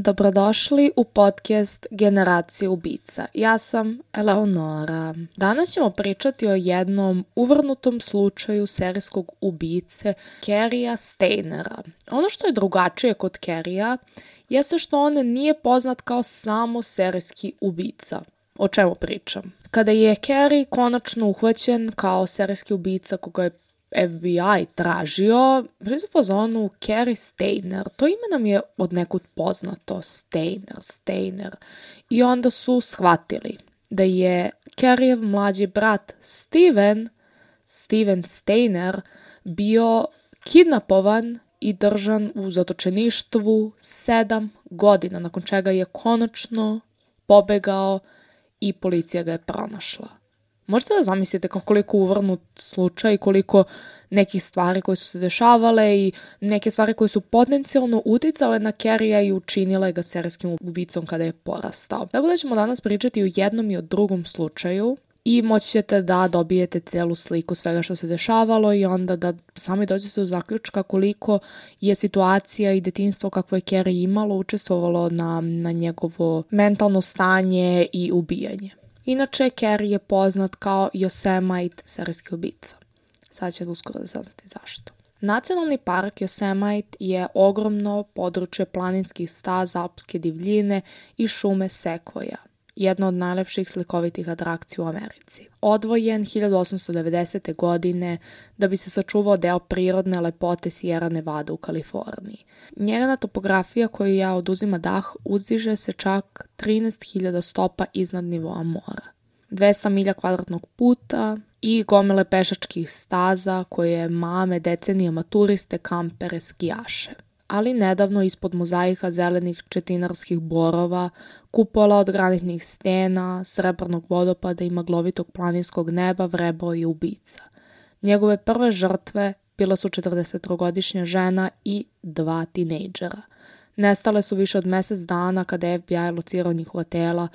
Dobrodošli u podcast Generacije ubica. Ja sam Eleonora. Danas ćemo pričati o jednom uvrnutom slučaju serijskog ubice Caryja Staynera. Ono što je drugačije kod Caryja jeste što on nije poznat kao samo serijski ubica. O čemu pričam? Kada je Caryj konačno uhvaćen kao serijski ubica koga je FBI tražio, bili su u fazonu Caryj Stayner. To ime nam je od nekud poznato. Stayner. I onda su shvatili da je Caryjev mlađi brat Steven Stayner bio kidnapovan i držan u zatočeništvu 7 godina, nakon čega je konačno pobegao i policija ga je pronašla. Možete da zamislite koliko uvrnut slučaj, koliko nekih stvari koje su se dešavale i neke stvari koje su potencijalno uticale na Caryja i učinile ga serijskim ubicom kada je porastao. Tako da ćemo danas pričati o jednom i o drugom slučaju i moći ćete da dobijete celu sliku svega što se dešavalo i onda da sami dođete do zaključka koliko je situacija i detinjstvo kakvo je Caryj imalo učestvovalo na njegovo mentalno stanje i ubijanje. Inače, Caryj je poznat kao Yosemite serijski ubica. Sad ćete uskoro da saznate zašto. Nacionalni park Yosemite je ogromno područje planinskih staza, alpske divljine i šume sekvoja. Jedna od najlepših slikovitih atrakcija u Americi. Odvojen 1890. godine da bi se sačuvao deo prirodne lepote Sierra Nevada u Kaliforniji. Njegova topografija koja oduzima dah uzdiže se čak 13.000 stopa iznad nivoa mora. 200 milja kvadratnog puta i gomile pešačkih staza koje mame decenijama turiste, kampere, skijaše. Ali nedavno ispod mozaika zelenih četinarskih borova, kupola od granitnih stena, srebrnog vodopada i maglovitog planinskog neba vrebao je ubica. Njegove prve žrtve bila su 43-godišnja žena i 2 tinejdžera. Nestale su više od mjesec dana kada je FBI locirao njihova tela.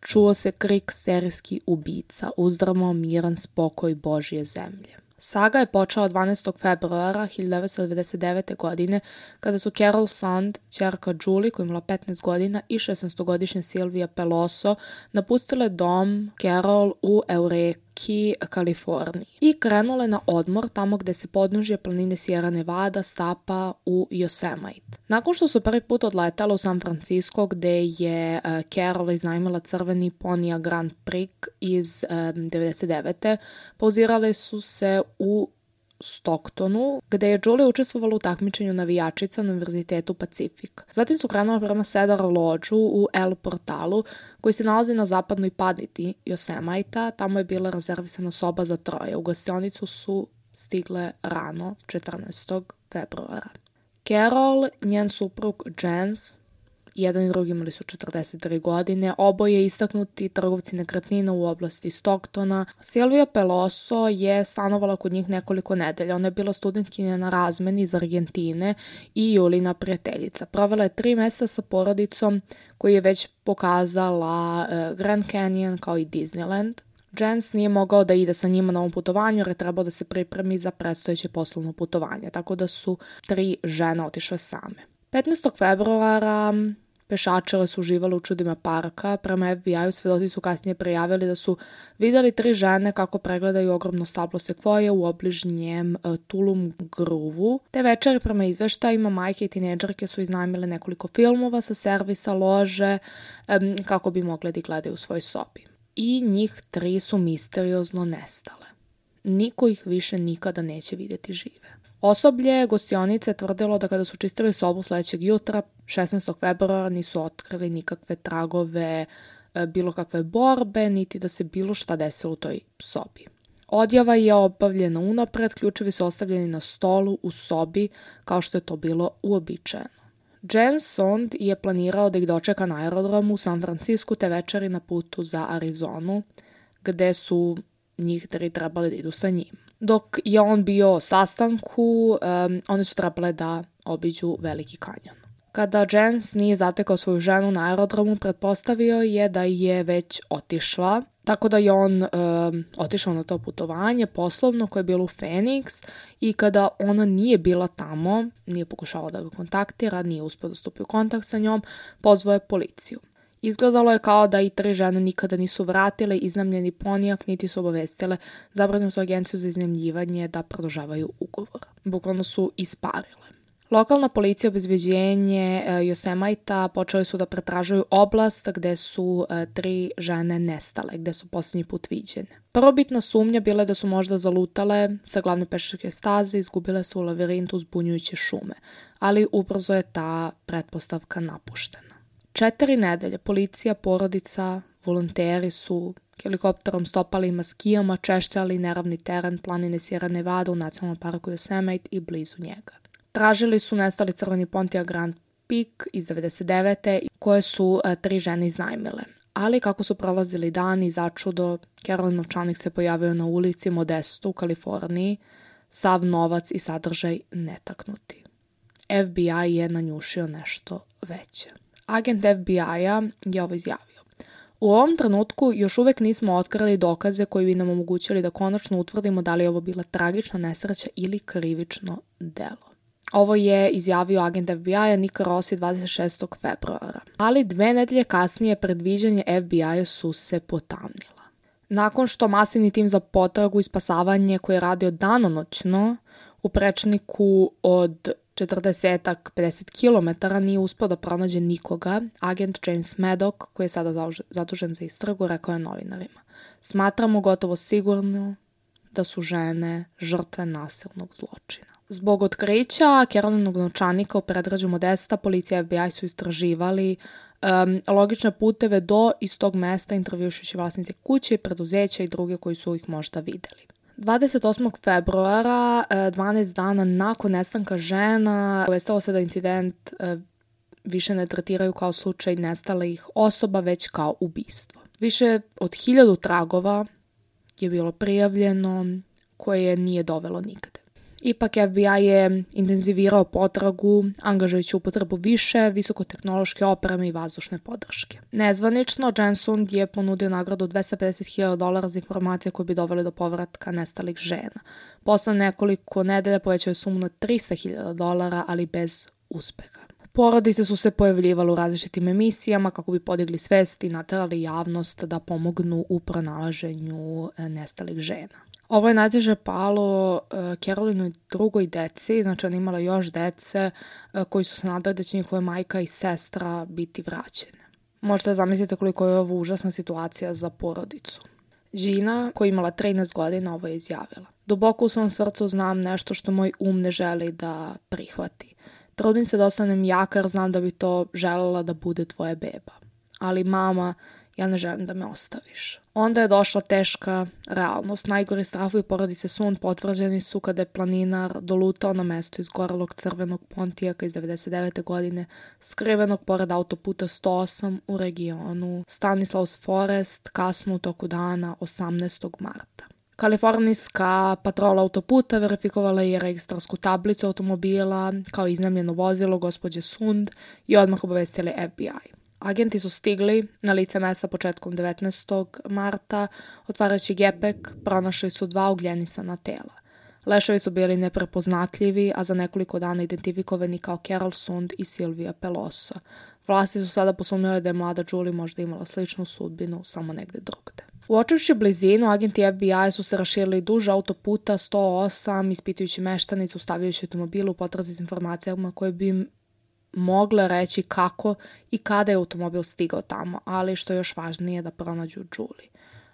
Čuo se krik serijski ubica, uzdrmao miran spokoj Božje zemlje. Saga je počela 12. februara 1999. godine kada su Carol Sand, ćerka Julie koja je imala 15 godina i 16-godišnja Sylvia Peloso napustile dom Carol u Eureki, Kaliforniji i krenule na odmor tamo gde se podnožje planine Sierra Nevada stapa u Yosemite. Nakon što su prvi put odletala u San Francisco gde je Carol iznajmila crveni Pontiac Grand Prix iz 99. pauzirale su se u Stocktonu, gde je Julie učestvovala u takmičenju navijačica na Univerzitetu Pacifik. Zatim su krenula prema Cedar Lodgeu u El Portalu, koji se nalazi na zapadnoj paditi Yosemite. Tamo je bila rezervisana soba za 3. U gostionicu su stigle rano, 14. februara. Carol, njen suprug Jens, jedan i drugi imali su 43 godine, oboje istaknuti trgovci nekretnina u oblasti Stocktona. Sylvia Peloso je stanovala kod njih nekoliko nedelja. Ona je bila studentkinja na razmeni iz Argentine i Julina prijateljica. Provela je 3 mjeseca sa porodicom koji je već pokazala Grand Canyon kao i Disneyland. Jens nije mogao da ide sa njima na ovom putovanju jer je trebao da se pripremi za predstojeće poslovno putovanje, tako da su 3 žene otišle same. 15. februara pešačile su uživale u čudima parka. Prema FBI-u svedoci su kasnije prijavili da su vidjeli 3 žene kako pregledaju ogromno stablo sekvoje u obližnjem Tulum Groove-u. Te večeri prema izveštajima majke i tinejdžerke su iznajmile nekoliko filmova sa servisa lože kako bi mogle da gledaju u svojoj sobi. I njih 3 su misteriozno nestale. Niko ih više nikada neće vidjeti žive. Osoblje gostionice tvrdilo da kada su čistili sobu sledećeg jutra, 16. februara, nisu otkrili nikakve tragove, bilo kakve borbe, niti da se bilo šta desilo u toj sobi. Odjava je obavljena unapred, ključevi su ostavljeni na stolu u sobi, kao što je to bilo uobičajeno. Jens Sond je planirao da ih dočeka na aerodromu u San Francisku te večeri na putu za Arizonu, gde su njih 3 trebali da idu sa njim. Dok je on bio o sastanku, one su trebale da obiđu Veliki kanjon. Kada Jens nije zatekao svoju ženu na aerodromu, pretpostavio je da je već otišla, tako da je on otišao na to putovanje poslovno koje je bilo u Phoenix i kada ona nije bila tamo, nije pokušala da ga kontaktira, nije uspio da stupi u kontakt sa njom, pozvao je policiju. Izgledalo je kao da i 3 žene nikada nisu vratile iznajmljeni ponijak, niti su obavestile zabrinutu agenciju za iznajmljivanje da produžavaju ugovor. Bukvalno su isparile. Lokalna policija i obezbeđenje Yosemite počeli su da pretražuju oblast gde su 3 žene nestale, gde su posljednji put viđene. Prvobitna sumnja bila je da su možda zalutale sa glavne pešačke staze, izgubile su u lavirintu zbunjujuće šume, ali ubrzo je ta pretpostavka napuštena. 4 nedelje policija, porodica, volonteri su helikopterom, stopalima, skijama češljali neravni teren planine Sierra Nevada u nacionalnom parku Yosemite i blizu njega. Tražili su nestali crveni Pontiac Grand Peak iz 99. koje su 3 žene iznajmile. Ali kako su prolazili dani, začudo, Carolyn novčanik se pojavio na ulici Modesto u Kaliforniji, sav novac i sadržaj netaknuti. FBI je nanjušio nešto veće. Agent FBI-a je ovo izjavio. U ovom trenutku još uvek nismo otkrili dokaze koji bi nam omogućili da konačno utvrdimo da li je ovo bila tragična nesreća ili krivično delo. Ovo je izjavio agent FBI-a Nick Rossi 26. februara. Ali 2 nedelje kasnije predviđanje FBI-a su se potamnila. Nakon što masivni tim za potragu i spasavanje koji je radio danonoćno u prečniku od 40-50 km nije uspio da pronađe nikoga, agent James Maddox, koji je sada zadužen za istragu, rekao je novinarima: "Smatramo gotovo sigurno da su žene žrtve nasilnog zločina." Zbog otkrića Carolinog novčanika u predgrađu Modesta, policija i FBI su istraživali logične puteve do istog mesta, intervjušujući vlasnice kuće, preduzeća i druge koji su ih možda videli. 28. februara, 12 dana nakon nestanka žena, obavestilo se da incident više ne tretiraju kao slučaj nestalih osoba, već kao ubistvo. Više od 1000 tragova je bilo prijavljeno, koje nije dovelo nigde. Ipak FBI je intenzivirao potragu, angažujući upotrebu više visokotehnološke opreme i vazdušne podrške. Nezvanično, Jensund je ponudio nagradu $250,000 za informacije koje bi dovele do povratka nestalih žena. Posle nekoliko nedelja povećao je sumu na $300,000, ali bez uspeha. Porodice su se pojavljivale u različitim emisijama kako bi podigli svest i naterali javnost da pomognu u pronalaženju nestalih žena. Ovo je najteže palo Carolinoj drugoj deci, znači ona imala još dece koji su se nadali da će njihova majka i sestra biti vraćene. Možete zamislite koliko je ovo užasna situacija za porodicu. Gina, koja je imala 13 godina, ovo je izjavila: "Duboko u svom srcu znam nešto što moj ne želi da prihvati. Trudim se da ostanem jaka jer znam da bi to želela da bude tvoja beba. Ali mama, ja ne želim da me ostaviš." Onda je došla teška realnost. Najgori strahovi porodice Sund potvrđeni su kada je planinar dolutao na mesto izgorelog crvenog Pontiaka iz 99. godine, skrivenog pored autoputa 108 u regionu Stanislaus Forest, kasno u toku dana 18. marta. Kalifornijska patrola autoputa verifikovala je registarsku tablicu automobila kao iznajmljeno vozilo gospođe Sund i odmah obavestili FBI. Agenti su stigli na lice mesta početkom 19. marta, otvarajući gepek, pronašli su 2 ugljenisana tela. Leševi su bili neprepoznatljivi, a za nekoliko dana identifikovani kao Carol Sund i Silvia Peloso. Vlasti su sada posumnjali da je mlada Julie možda imala sličnu sudbinu, samo negde drugde. Uočivši blizinu, agenti FBI su se raširili duž autoputa 108, ispitujući meštanicu, stavljajući automobilu u potrazi s informacijama koje bi im mogle reći kako i kada je automobil stigao tamo, ali što je još važnije da pronađu Julie.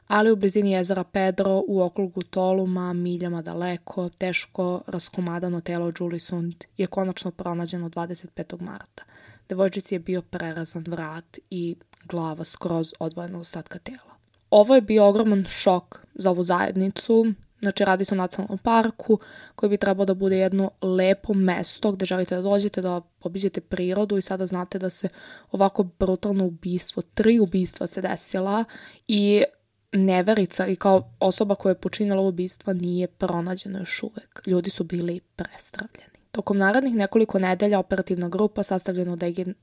Ali u blizini jezera Pedro, u okrugu Toluma, miljama daleko, teško raskomadano telo Julie Sund je konačno pronađeno 25. marta. Devojčici je bio prerezan vrat i glava skroz odvojena od ostatka tela. Ovo je bio ogroman šok za ovu zajednicu. Znači, radi se o nacionalnom parku koji bi trebao da bude jedno lepo mesto gde želite da dođete, da obiđete prirodu i sada znate da se ovako brutalno ubistvo, 3 ubistva se desila i neverica i kao osoba koja je počinila ovo ubistva nije pronađena još uvek. Ljudi su bili prestravljeni. Tokom narednih nekoliko nedelja operativna grupa sastavljena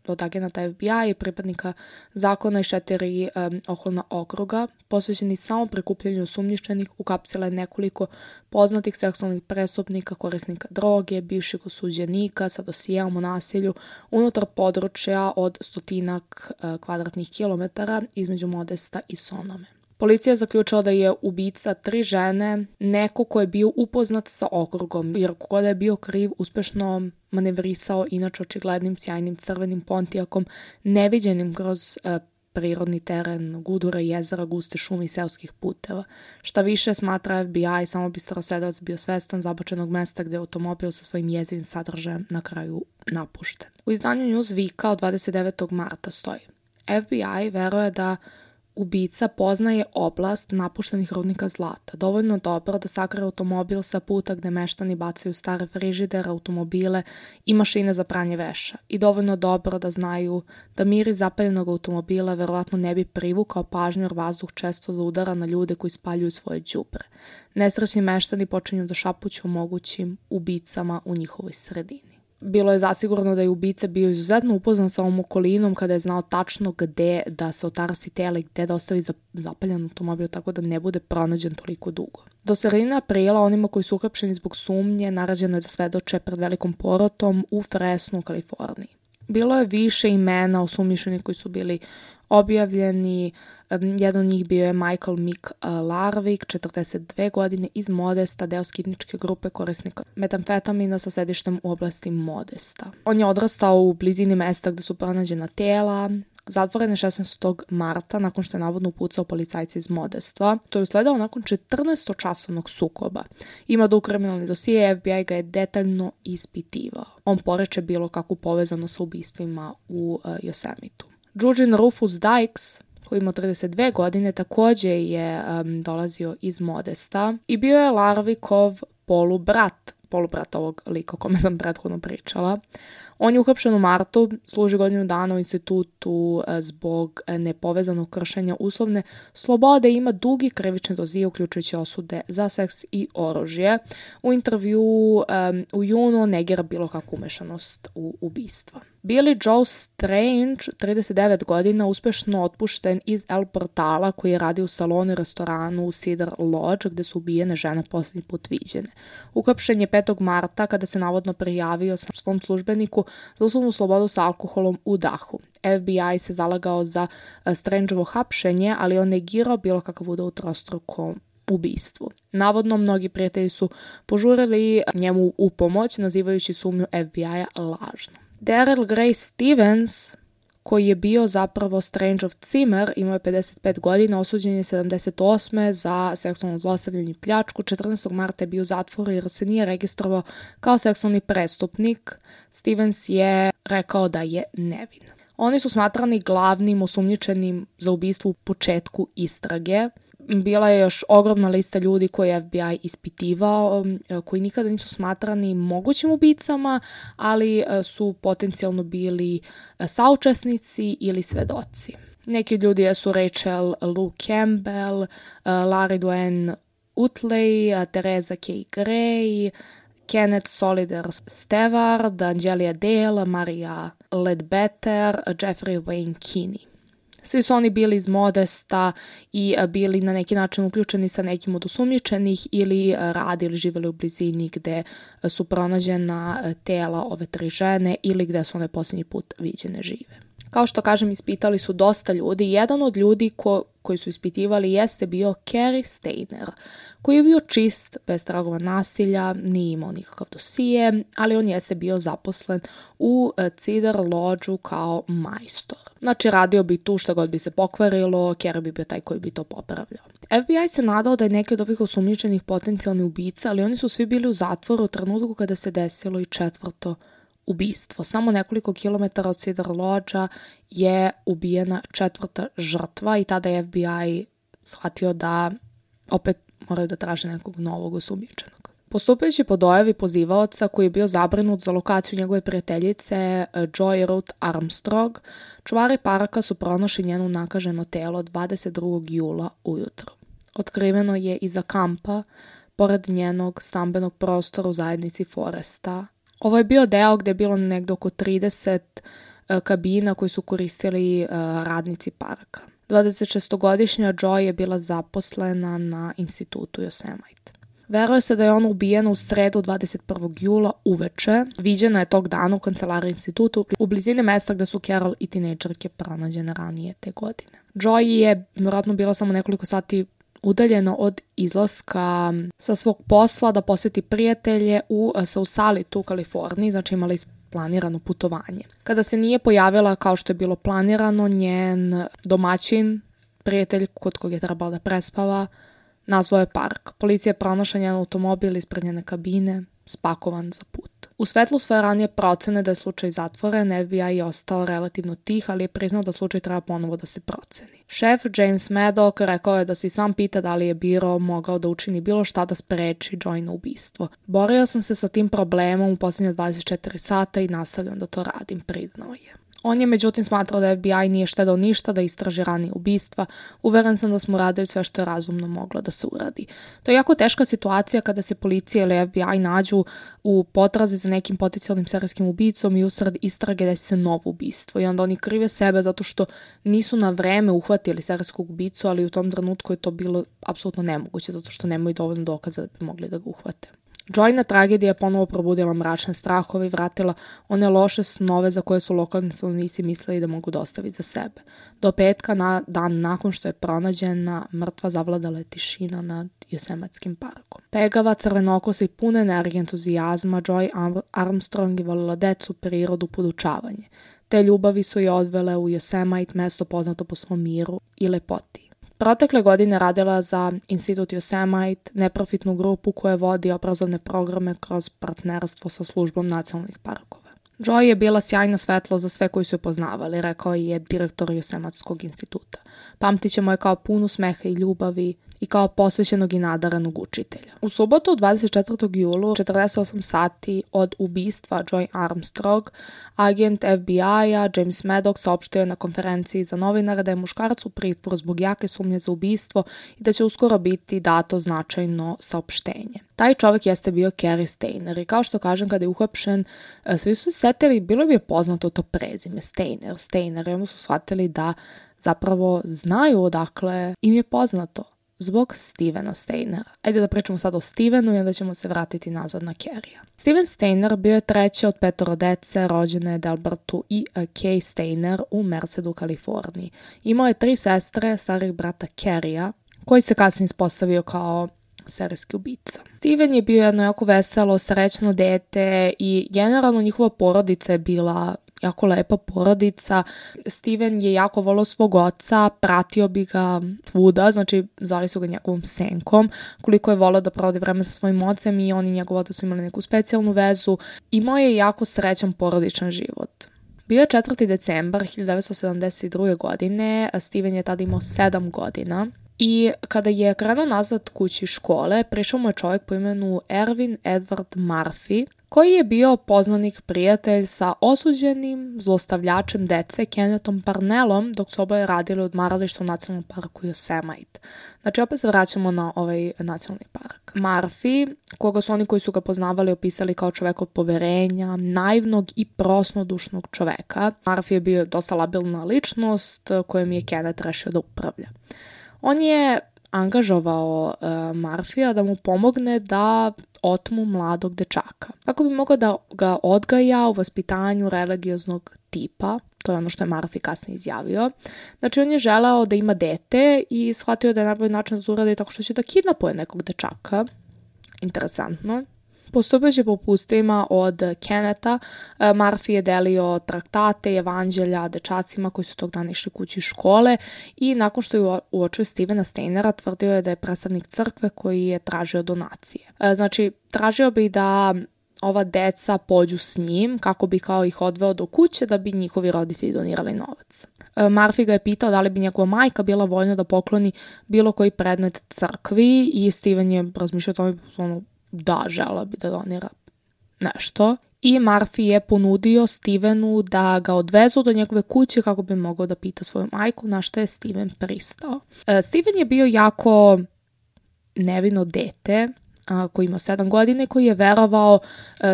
od agenata FBI i pripadnika zakona i 4 okolna okruga, posvećeni samo prikupljanju osumnjičenih, ukapsila je nekoliko poznatih seksualnih prestupnika, korisnika droge, bivših osuđenika sa dosijeom o nasilju unutar područja od 100 kvadratnih kilometara između Modesta i Sonome. Policija je zaključila da je ubica 3 žene neko ko je bio upoznat sa okrugom, jer koga je bio kriv uspešno manevrisao inače očiglednim sjajnim crvenim Pontiacom, neviđenim kroz prirodni teren, gudura, jezera, guste šume i seoskih puteva. Šta više, smatra FBI, samo bi starosedevac bio svestan zabačenog mesta gde je automobil sa svojim jezivim sadržajem na kraju napušten. U izdanju Newsweeka od 29. marta stoji: FBI veruje da ubica poznaje oblast napuštenih rudnika zlata, dovoljno dobro da sakrije automobil sa puta gde meštani bacaju stare frižidere, automobile i mašine za pranje veša, i dovoljno dobro da znaju da miris zapaljenog automobila verovatno ne bi privukao pažnju jer vazduh često zaudara na ljude koji spaljuju svoje đubre. Nesrećni meštani počinju da šapuću o mogućim ubicama u njihovoj sredini. Bilo je zasigurno da je ubica bio izuzetno upoznat sa ovom okolinom kada je znao tačno gde da se otarasi tela i gde da ostavi zapaljen automobil tako da ne bude pronađen toliko dugo. Do sredine aprila onima koji su uhapšeni zbog sumnje naređeno je da svedoče pred velikom porotom u Fresnu u Kaliforniji. Bilo je više imena osumnjičenih koji su bili objavljeni. Jedan od njih bio je Michael Mick Larvik, 42 godine, iz Modesta, deo skidničke grupe korisnika metamfetamina sa sedištem u oblasti Modesta. On je odrastao u blizini mesta gde su pronađena tela. Zatvoren je 16. marta nakon što je navodno upucao policajca iz Modesta. To je usledao nakon 14-časovnog sukoba. Ima dug kriminalni dosije, FBI ga je detaljno ispitivao. On poreče bilo kakvu povezano sa ubistvima u Yosemitu. Eugene Rufus Dykes, koji ima 32 godine, takođe je dolazio iz Modesta i bio je Larvikov polubrat ovog lika o kome sam prethodno pričala. On je uhapšen u martu, služi godinu dana u institutu zbog nepovezanog kršenja uslovne slobode i ima dugi krivični dosije uključujući osude za seks i oružje. U intervju u junu negira bilo kakvu umešanost u ubistva. Billy Joe Strange, 39 godina, uspešno otpušten iz El Portala koji je radio u salonu i restoranu u Cedar Lodge gde su ubijene žene posljednji put viđene. Uhapšen je 5. marta kada se navodno prijavio svom službeniku za uslovnu slobodu sa alkoholom u dahu. FBI se zalagao za Strangeovo hapšenje, ali on negirao bilo kakav udeo u trostrukom ubistvu. Navodno, mnogi prijatelji su požurili njemu u pomoć, nazivajući sumnju FBI-a lažno. Daryl Gray Stevens, koji je bio zapravo Strangeov cimer, imao je 55 godina, osuđen je 78. za seksualno zlostavljanje i pljačku. 14. marta je bio u zatvoru jer se nije registrovao kao seksualni prestupnik. Stevens je rekao da je nevin. Oni su smatrani glavnim osumnjičenim za ubistvo u početku istrage. Bila je još ogromna lista ljudi koje je FBI ispitivao, koji nikada nisu smatrani mogućim ubicama, ali su potencijalno bili saučesnici ili svedoci. Neki ljudi su Rachel Lou Campbell, Larry Dwayne Utley, Teresa K. Gray, Kenneth Solider Stewart, Angelia Dale, Maria Ledbetter, Jeffrey Wayne Kinney. Svi su oni bili iz Modesta i bili na neki način uključeni sa nekim od osumnjičenih ili radili, živjeli u blizini gde su pronađena tela ove 3 žene ili gde su one posljednji put viđene žive. Kao što kažem, ispitali su dosta ljudi. Jedan od ljudi koji su ispitivali jeste bio Cary Stayner, koji je bio čist, bez tragova nasilja, nije imao nikakav dosije, ali on jeste bio zaposlen u Cedar Lodge-u kao majstor. Znači, radio bi tu šta god bi se pokvarilo, Cary bi bio taj koji bi to popravljao. FBI se nadao da je neki od ovih osumnjičenih potencijalni ubica, ali oni su svi bili u zatvoru u trenutku kada se desilo i 4. ubistvo. Samo nekoliko kilometara od Cedar Lodge-a je ubijena 4. žrtva i tada je FBI shvatio da opet moraju da traže nekog novog osumnjičenog. Postupajući po dojavi pozivaoca koji je bio zabrinut za lokaciju njegove prijateljice Joy Ruth Armstrong, čuvari paraka su pronašli njeno nakaženo telo 22. jula ujutro. Otkriveno je iza kampa, pored njenog stambenog prostora u zajednici Foresta Ovo je bio deo gde je bilo negde oko 30 kabina koji su koristili radnici parka. 26-godišnja Joy je bila zaposlena na institutu Yosemite. Veruje se da je ona ubijena u sredu 21. jula uveče. Viđena je tog dana u kancelariji institutu u blizini mesta gde su Carol i tinejdžerke pronađene ranije te godine. Joy je vjerojatno bila samo nekoliko sati udaljena od izlaska sa svog posla da poseti prijatelje u Sausalitu u Kaliforniji, znači imala planirano putovanje. Kada se nije pojavila kao što je bilo planirano, njen domaćin, prijatelj kod kog je trebalo da prespava, nazvao je park. Policija je pronašla njen automobil ispred njene kabine, spakovan za put. U svetlu svoje ranije procene da je slučaj zatvoren, FBI je ostao relativno tih, ali je priznao da slučaj treba ponovo da se proceni. Šef James Maddock rekao je da se i sam pita da li je biro mogao da učini bilo šta da spreči Joy na ubistvo. Borio sam se sa tim problemom u posljednje 24 sata i nastavljam da to radim, priznao je. On je međutim smatrao da FBI nije štedao ništa da istraži ranije ubistva. Uveren sam da smo radili sve što je razumno moglo da se uradi. To je jako teška situacija kada se policija ili FBI nađu u potrazi za nekim potencijalnim serijskim ubicom i usred istrage desi se novo ubistvo. I onda oni krive sebe zato što nisu na vreme uhvatili serijskog ubicu, ali u tom trenutku je to bilo apsolutno nemoguće zato što nemaju dovoljno dokaza da bi mogli da ga uhvate. Joyna tragedija je ponovo probudila mračne strahove i vratila one loše snove za koje su lokalni stanovnici mislili da mogu dostaviti za sebe. Do petka, dan nakon što je pronađena, mrtva zavladala je tišina nad Yosemitskim parkom. Pegava, crvenokosa i puna energije entuzijazma, Joy Armstrong je volila decu, prirodu, podučavanje. Te ljubavi su je odvele u Yosemite, mesto poznato po svom miru i lepoti. Protekle godine radila za Institut Yosemite, neprofitnu grupu koja vodi obrazovne programe kroz partnerstvo sa službom nacionalnih parkova. Joy je bila sjajna svetlo za sve koji su je poznavali, rekao je direktor Yosemitskog instituta. Pamtit ćemo je kao punu smeha i ljubavi i kao posvećenog i nadaranog učitelja. U subotu 24. julu, 48 sati od ubistva Joy Armstrong, agent FBI-a James Maddock saopštio je na konferenciji za novinare da je muškarac u pritvoru zbog jake sumnje za ubistvo i da će uskoro biti dato značajno saopštenje. Taj čovjek jeste bio Cary Stayner i kao što kažem, kada je uhapšen, svi su se setili, bilo bi je poznato to prezime, Stayner, i onda su shvatili da zapravo znaju odakle im je poznato. Zbog Stevena Staynera. Ajde da pričamo sad o Stevenu i onda ćemo se vratiti nazad na Carrya. Steven Stayner bio je treći od 5 dece rođene Delbertu i Kay Stayner u Mercedu, Kaliforniji. Imao je 3 sestre, starih brata Carrya, koji se kasnije ispostavio kao serijski ubica. Steven je bio jedno jako veselo, srećno dete i generalno njihova porodica je bila jako lepa porodica. Steven je jako volao svog oca, pratio bi ga svuda, znači zvali su ga njegovom senkom, koliko je volao da provodi vreme sa svojim ocem i on i njegov otac su imali neku specijalnu vezu. Imao je jako srećan porodičan život. Bio je 4. decembar 1972. godine, Steven je tada imao 7 godina. I kada je krenuo nazad kući škole, prišao mu je čovjek po imenu Erwin Edward Murphy, koji je bio poznanik prijatelj sa osuđenim zlostavljačem dece Kennethom Parnellom dok su oboje radili u odmaralištu u nacionalnom parku Yosemite. Znači opet se vraćamo na ovaj nacionalni park. Murphy, koga su oni koji su ga poznavali opisali kao čovjek od poverenja, naivnog i prosnodušnog čoveka. Murphy je bio dosta labilna ličnost kojom je Kenneth rešio da upravlja. On je angažovao Murphyja da mu pomogne da otmu mladog dečaka. Kako bi mogao da ga odgaja u vaspitanju religioznog tipa, to je ono što je Murphy kasnije izjavio. Znači on je želeo da ima dete i shvatio da je najbolji način da to uradi tako što će da kidnapuje nekog dečaka. Interesantno. Postupajući po upustvima od Kennetha, Murphy je delio traktate i evanđelja dečacima koji su tog dana išli kući iz škole i nakon što je uočio Stevena Staynera, tvrdio je da je predstavnik crkve koji je tražio donacije. Znači, tražio bi da ova deca pođu s njim kako bi kao ih odveo do kuće da bi njihovi roditelji donirali novac. Murphy ga je pitao da li bi njegova majka bila voljna da pokloni bilo koji predmet crkvi i Steven je razmišljao o tome da, žela bi da donira nešto. I Murphy je ponudio Stevenu da ga odvezu do njegove kuće kako bi mogao da pita svoju majku, na što je Steven pristao. Steven je bio jako nevino dete, koji ima 7 godina i koji je verovao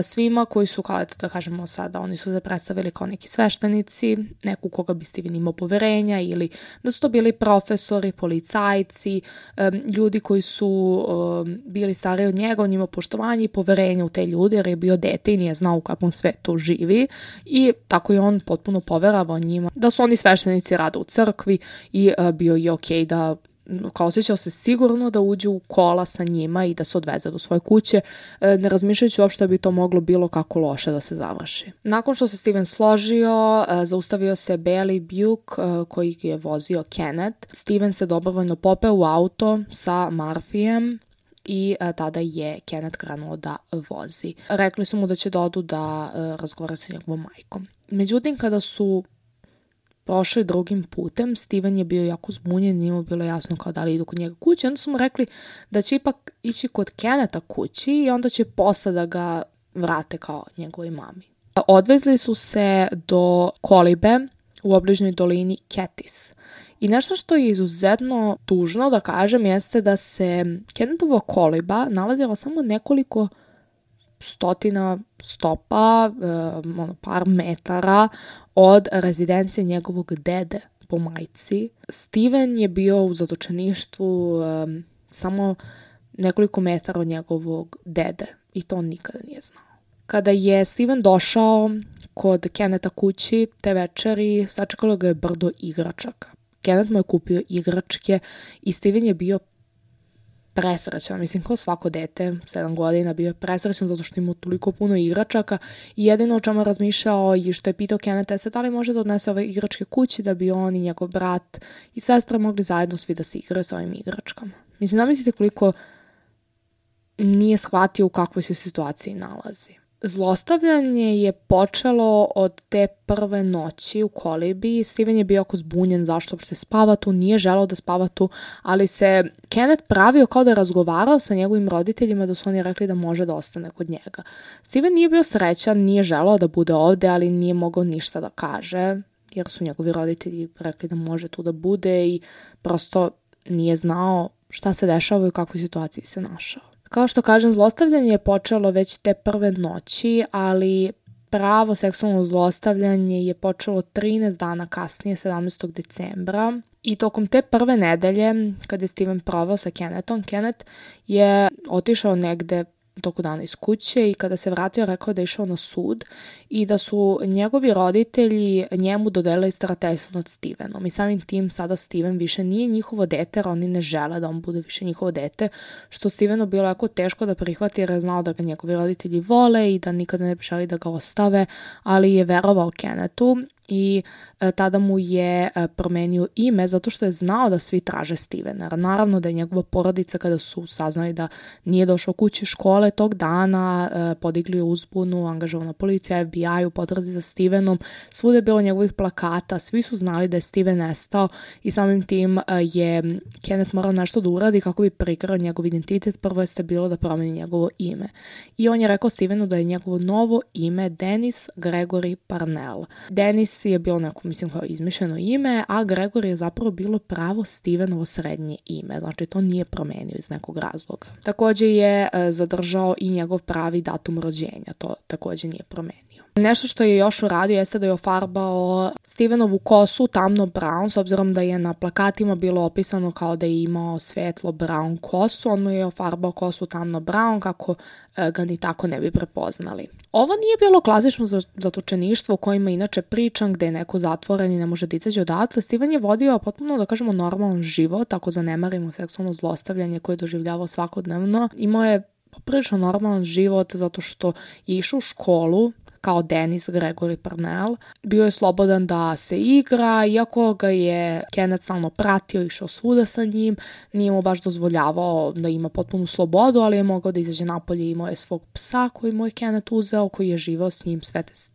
svima koji su, kao da kažemo sada, oni su se predstavili kao neki sveštenici, neku koga bi Steven imao poverenja, ili da su to bili profesori, policajci, ljudi koji su bili stariji od njega, on ima poštovanje i poverenje u te ljude jer je bio dete i nije znao u kakvom svetu živi, i tako je on potpuno poveravao njima da su oni sveštenici, rada u crkvi, i bio je okej da kao osjećao se sigurno da uđe u kola sa njima i da se odveze do svoje kuće, ne razmišljajući uopšte da bi to moglo bilo kako loše da se završi. Nakon što se Steven složio, zaustavio se Bailey Buke koji je vozio Kenneth. Steven se dobrovoljno popeo u auto sa Murphyjem i tada je Kenneth krenuo da vozi. Rekli su mu da će da odu da razgovara sa njegovom majkom. Međutim, kada su prošli drugim putem, Steven je bio jako zbunjen, nije mu bilo jasno kao da li idu kod njega kući. Onda su mu rekli da će ipak ići kod Kennetha kući i onda će posle da ga vrate kao njegovoj mami. Odvezli su se do kolibe u obližnjoj dolini Katis. I nešto što je izuzetno tužno da kažem jeste da se Kennethova koliba nalazila samo nekoliko stotina stopa, par metara od rezidencije njegovog dede po majci. Steven je bio u zatočeništvu samo nekoliko metara od njegovog dede i to on nikada nije znao. Kada je Steven došao kod Kennetha kući te večeri, sačekalo ga je brdo igračaka. Kenneth mu je kupio igračke i Steven je bio presrećan, mislim kao svako dete, 7 godina, bio je presrećan zato što imao toliko puno igračaka i jedino o čemu je razmišljao i što je pitao Kennetha je da li može da odnese ove igračke kući da bi on i njegov brat i sestra mogli zajedno svi da se igraju s ovim igračkama. Mislim, zamislite koliko nije shvatio u kakvoj se situaciji nalazi. Zlostavljanje je počelo od te prve noći u kolibi. Steven je bio jako zbunjen zašto uopšte spava tu, nije želeo da spava tu, ali se Kenneth pravio kao da je razgovarao sa njegovim roditeljima da su oni rekli da može da ostane kod njega. Steven nije bio srećan, nije želeo da bude ovde, ali nije mogao ništa da kaže, jer su njegovi roditelji rekli da može tu da bude i prosto nije znao šta se dešava i u kakvoj situaciji se našao. Kao što kažem, zlostavljanje je počelo već te prve noći, ali pravo seksualno zlostavljanje je počelo 13 dana kasnije, 17. decembra. I tokom te prve nedelje, kada je Steven proveo sa Kennethom, Kenneth je otišao negde toku dana iz kuće i kada se vratio rekao da je išao na sud i da su njegovi roditelji njemu dodelili starateljstvo nad Stevenom i samim tim sada Steven više nije njihovo dete, jer oni ne žele da on bude više njihovo dete, što Stevenu bilo jako teško da prihvati jer je znao da ga njegovi roditelji vole i da nikada ne bi želi da ga ostave, ali je verovao Kennethu i tada mu je promenio ime zato što je znao da svi traže Stevena. Naravno da je njegova porodica kada su saznali da nije došao kući škole tog dana, podigli uzbunu, angažovana policija, FBI u potrazi za Stevenom, svuda je bilo njegovih plakata, svi su znali da je Steven nestao i samim tim je Kenneth morao nešto da uradi kako bi prikrao njegov identitet. Prvo jeste bilo da promeni njegovo ime. I on je rekao Stevenu da je njegovo novo ime Dennis Gregory Parnell. Dennis je bilo neko, mislim, kao izmišljeno ime, a Gregory je zapravo bilo pravo Stevenovo srednje ime, znači to nije promenio iz nekog razloga. Također je zadržao i njegov pravi datum rođenja, to također nije promenio. Nešto što je još uradio jeste da je ofarbao Stevenovu kosu tamno brown, s obzirom da je na plakatima bilo opisano kao da je imao svetlo brown kosu, on mu je ofarbao kosu tamno brown kako ga ni tako ne bi prepoznali. Ovo nije bilo klasično zatočeništvo o kojima inače pričam, gde je neko zatvoren i ne može da izađe odatle. Steven je vodio potpuno, da kažemo, normalan život, ako zanemarimo seksualno zlostavljanje koje je doživljavao svakodnevno. Imao je poprilično normalan život zato što je išao u školu kao Dennis Gregory Parnell. Bio je slobodan da se igra, iako ga je Kenneth stalno pratio, išao svuda sa njim, nije mu baš dozvoljavao da ima potpunu slobodu, ali je mogao da izađe napolje i imao je svog psa koji mu je Kenneth uzeo, koji je živao s njim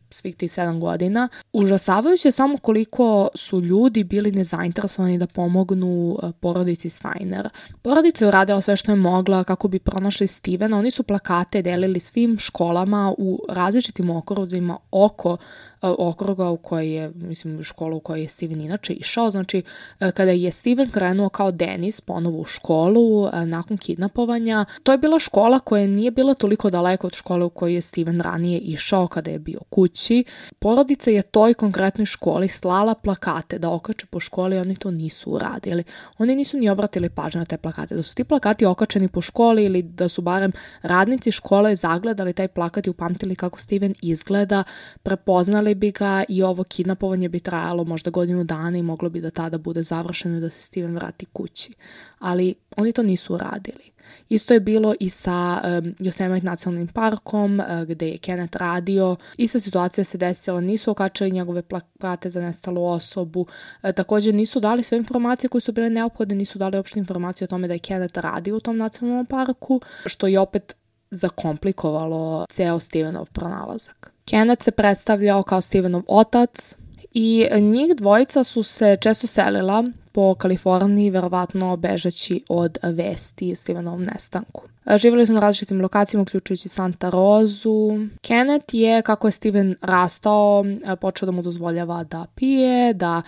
svih tih 7 godina. Užasavajuće je samo koliko su ljudi bili nezainteresovani da pomognu porodici Steiner. Porodica je uradila sve što je mogla kako bi pronašli Stevena. Oni su plakate delili svim školama u različitim okruzima oko okruga u kojoj je, mislim, škola u kojoj je Steven inače išao. Znači, kada je Steven krenuo kao Dennis ponovo u školu nakon kidnapovanja, to je bila škola koja nije bila toliko daleko od škole u kojoj je Steven ranije išao kada je bio kući. Porodica je toj konkretnoj školi slala plakate da okače po školi, oni to nisu uradili. Oni nisu ni obratili pažnju na te plakate. Da su ti plakati okačeni po školi ili da su barem radnici škole zagledali taj plakat i upamtili kako Steven izgleda, prepoznali bi ga i ovo kidnapovanje bi trajalo možda godinu dana i moglo bi da tada bude završeno i da se Steven vrati kući. Ali oni to nisu uradili. Isto je bilo i sa Yosemite nacionalnim parkom gde je Kenneth radio. Ista situacija se desila, nisu okačili njegove plakate za nestalu osobu. Također nisu dali sve informacije koje su bile neophodne, nisu dali uopšte informacije o tome da je Kenneth radio u tom nacionalnom parku, što je opet zakomplikovalo ceo Stevenov pronalazak. Kenneth se predstavljao kao Stevenov otac i njih dvojica su se često selila po Kaliforniji, verovatno bežeći od vesti o Stevenovom nestanku. Živjeli su na različitim lokacijama, uključujući Santa Rozu. Kenneth je, kako je Steven rastao, počeo da mu dozvoljava da pije, da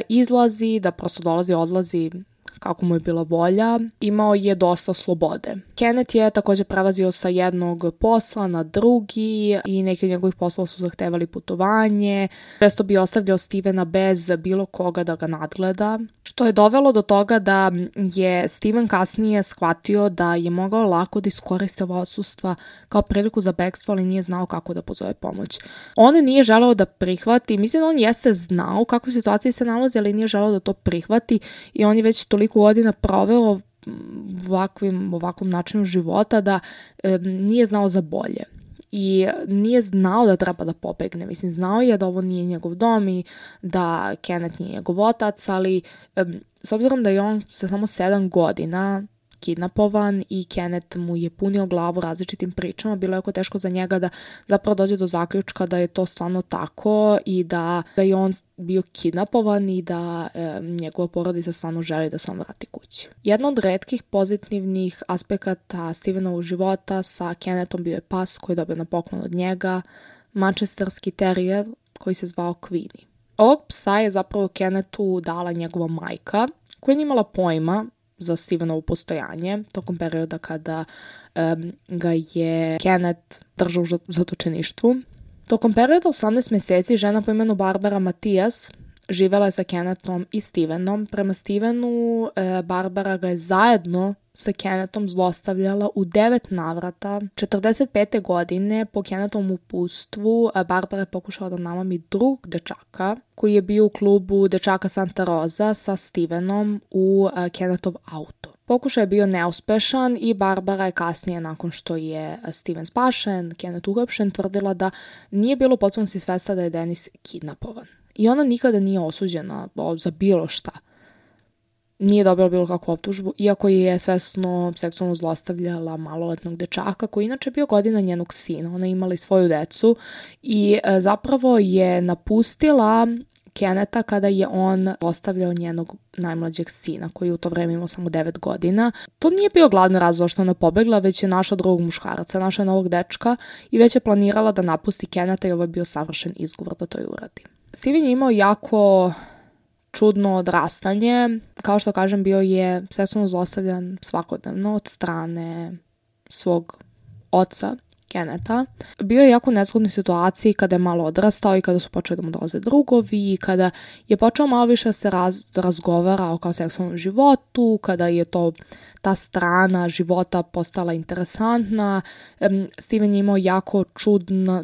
izlazi, da prosto dolazi, odlazi kako mu je bila volja. Imao je dosta slobode. Kenneth je također prelazio sa jednog posla na drugi i neki od njegovih poslova su zahtevali putovanje. Često bi ostavljao Stevena bez bilo koga da ga nadgleda, što je dovelo do toga da je Steven kasnije shvatio da je mogao lako da iskoristi ovo odsustva kao priliku za bekstvo, ali nije znao kako da pozove pomoć. On nije želeo da prihvati, mislim da on jeste znao u kakvoj situaciji se nalazi, ali nije želeo da to prihvati i on je već toliko godina proveo ovakvom načinu života da nije znao za bolje. I nije znao da treba da pobegne. Mislim, znao je da ovo nije njegov dom i da Kenneth nije njegov otac, ali s obzirom da je on sa samo 7 godina kidnapovan i Kenneth mu je punio glavu različitim pričama, bilo je jako teško za njega da zapravo dođe do zaključka da je to stvarno tako i da je on bio kidnapovan i da njegova porodica stvarno želi da se on vrati kući. Jedna od retkih pozitivnih aspekata Stevenovog života sa Kennethom bio je pas koji je dobio na poklon od njega, manchesterski terijer koji se zvao Queenie. Ovog psa je zapravo Kennethu dala njegova majka, koja nije imala pojma za Stevenovo postojanje tokom perioda kada ga je Kenneth držao u zatočeništvu. Tokom perioda 18 mjeseci žena po imenu Barbara Matias živjela je sa Kennethom i Stevenom. Prema Stevenu, Barbara ga je zajedno sa Kennethom zlostavljala u 9 navrata. 45. godine po Kennethovom uputstvu Barbara je pokušala da namami drugog dečaka koji je bio u klubu dečaka Santa Rosa sa Stevenom u Kennethov auto. Pokušaj je bio neuspešan i Barbara je kasnije, nakon što je Steven spašen, Kenneth uhapšen, tvrdila da nije bilo potpuno svesna da je Dennis kidnapovan. I ona nikada nije osuđena za bilo šta. Nije dobila bilo kakvu optužbu, iako je svesno seksualno zlostavljala maloletnog dečaka, koji inače bio godina njenog sina. Ona je imala i svoju decu i zapravo je napustila Kennetha kada je on ostavljao njenog najmlađeg sina, koji u to vreme imao samo 9 godina. To nije bio glavni razlog što ona pobegla, već je našla drugog muškaraca, našla novog dečka i već je planirala da napusti Kennetha i ovo je bio savršen izgovor da to i uradi. Steven je imao jako čudno odrastanje. Kao što kažem, bio je seksualno zlostavljan svakodnevno od strane svog oca, Kennetha. Bio je jako u nezgodnoj situaciji kada je malo odrastao i kada su počeli da mu dolaze drugovi i kada je počeo malo više da se razgovara o kao seksualnom životu, kada je ta strana života postala interesantna. Steven je imao jako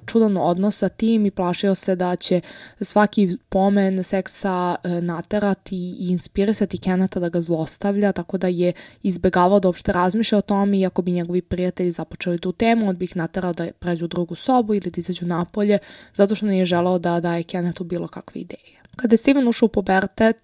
čudan odnos sa tim i plašio se da će svaki pomen seksa naterati i inspirisati Kennetha da ga zlostavlja, tako da je izbegavao da uopšte razmišlja o tome, iako bi njegovi prijatelji započeli tu temu, on bi ih naterao da pređu u drugu sobu ili da izađu napolje, zato što nije želeo da daje Kennethu bilo kakve ideje. Kada je Steven ušao u pubertet,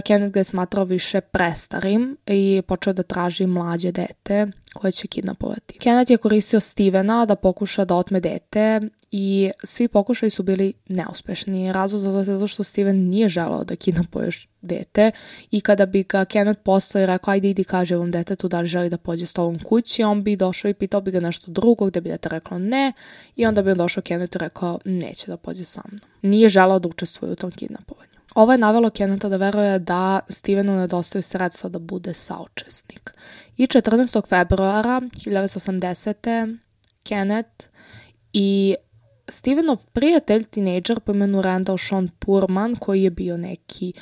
Kenneth ga je smatrao više prestarim i počeo da traži mlađe dete koje će kidnapovati. Kenneth je koristio Stevena da pokuša da otme dete i svi pokušaji su bili neuspešni. Razlog za to je zato što Steven nije želeo da kidnapuješ dete i kada bi ga Kenneth postao i rekao ajde idi kaže ovom detetu da li želi da pođe s tobom kući, on bi došao i pitao bi ga nešto drugo gde bi dete reklo ne i onda bi on došao Kenneth i rekao neće da pođe sa mnom. Nije želeo da učestvuje u tom kidnapovanju. Ovo je navelo Kennetha da veruje da Stevenu nedostaju sredstva da bude saučesnik. I 14. februara 1980. Kenneth i Stevenov prijatelj, tinejdžer po imenu Randall Sean Purman, koji je bio neki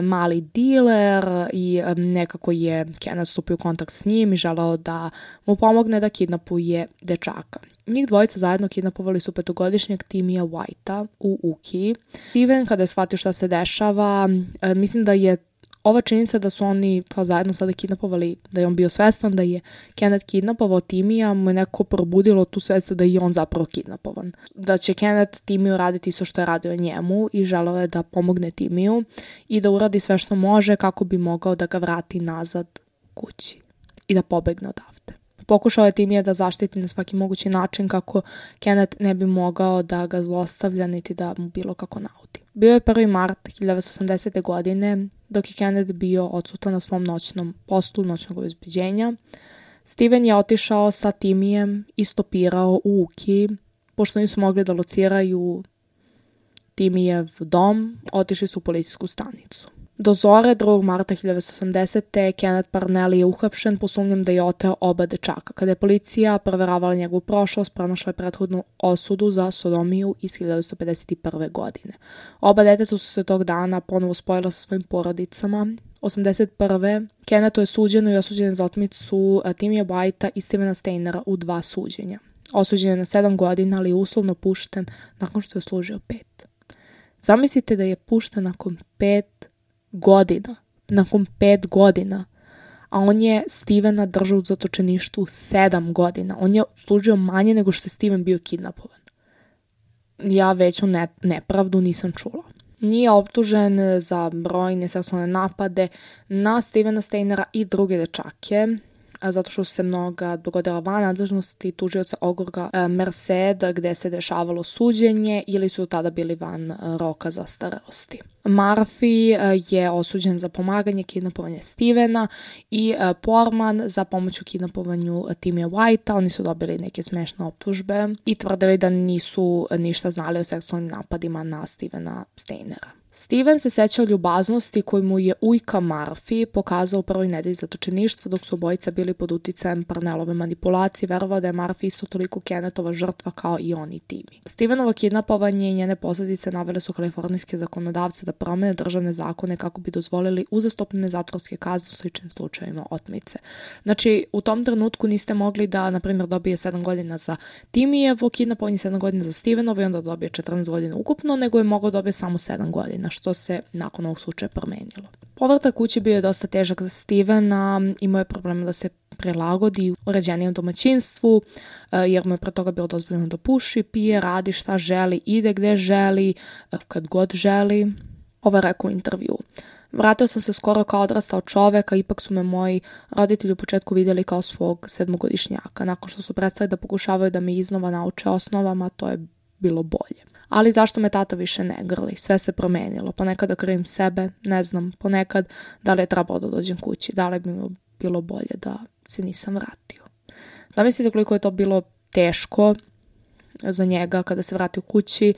mali diler i nekako je Kenneth stupio u kontakt s njim i želeo da mu pomogne da kidnapuje dečaka. Njih dvojica zajedno kidnapovali su 5-godišnjeg Timija Whitea u Ukiji. Steven, kada je shvatio šta se dešava, mislim da je ova činjenica da su oni kao zajedno sada kidnapovali, da je on bio svestan da je Kenneth kidnapovao Timija, mu je nekako probudilo tu svest da je on zapravo kidnapovan. Da će Kenneth Timiju raditi isto što je radio njemu i želeo je da pomogne Timiju i da uradi sve što može kako bi mogao da ga vrati nazad kući i da pobegne odavde. Pokušao je Timija da zaštiti na svaki mogući način kako Kenneth ne bi mogao da ga zlostavlja niti da mu bilo kako naudi. Bio je 1. mart 1980. godine, dok je Kenneth bio odsutan na svom noćnom poslu noćnog obezbeđenja. Steven je otišao sa Timijem i stopirao u Ukiji. Pošto nisu mogli da lociraju Timijev dom, otišli su u policijsku stanicu. Do zore 2. marta 1980. Kenneth Parnelli je uhapšen po sumnjom da je oteo oba dečaka. Kada je policija proveravala njegovu prošlost, pronašla je prethodnu osudu za sodomiju iz 1951. godine. Oba deteca su se tog dana ponovo spojila sa svojim porodicama. 1981. Kennethu je suđeno i osuđen za otmicu Timija Whitea i Stevena Steinera u 2 suđenja. Osuđen je na 7 godina, ali je uslovno pušten nakon što je služio 5. Zamislite da je pušten nakon 5 godina. Nakon 5 godina. A on je Stevena držao u zatočeništvu 7 godina. On je služio manje nego što je Steven bio kidnapovan. Ja veću nepravdu nisam čula. Nije optužen za brojne seksualne napade na Stevena Steinera i druge dečake, zato što su se mnoga dogodila van nadležnosti tužioca Ogorga Merced, gde se dešavalo suđenje ili su tada bili van roka zastarelosti. Murphy je osuđen za pomaganje kidnapovanja Stevena i Porman za pomoć u kidnapovanju Timija Whitea. Oni su dobili neke smešne optužbe i tvrdili da nisu ništa znali o seksualnim napadima na Stevena Steinera. Steven se sećao ljubaznosti koju mu je ujka Murphy pokazao u prvoj nedelji zatočeništva dok su obojica bili pod uticajem Parnellove manipulacije, verovao da je Murphy isto toliko Kennethova žrtva kao i on i Timmy. Stevenovo kidnapovanje i njene posljedice navele su kalifornijske zakonodavce da promene državne zakone kako bi dozvolili uzastopne zatvorske kazne u sličnim slučajevima otmice. Znači, u tom trenutku niste mogli da, na primjer, dobije 7 godina za Timijevo kidnapovanje, 7 godina za Stevenovo i onda dobije 14 godina ukupno, nego je mogao dobije samo 7 godina, što se nakon ovog slučaja promenilo. Povratak kući bio je dosta težak za Stevena, imao je problema da se prilagodi u uređenijem domaćinstvu, jer mu je pre toga bilo dozvoljeno da puši, pije, radi šta želi, ide gde želi, kad god želi. Ovo je rekao u intervju. Vratio sam se skoro kao odrastao čovek, a ipak su me moji roditelji u početku vidjeli kao svog 7-godišnjaka. Nakon što su prestali da pokušavaju da me iznova nauče osnovama, to je bilo bolje. Ali zašto me tata više ne grli? Sve se promenilo. Ponekad da krivim sebe, ne znam. Ponekad da li je trebalo da dođem kući, da li bi mi bilo bolje da se nisam vratio. Zamislite koliko je to bilo teško za njega kada se vratio kući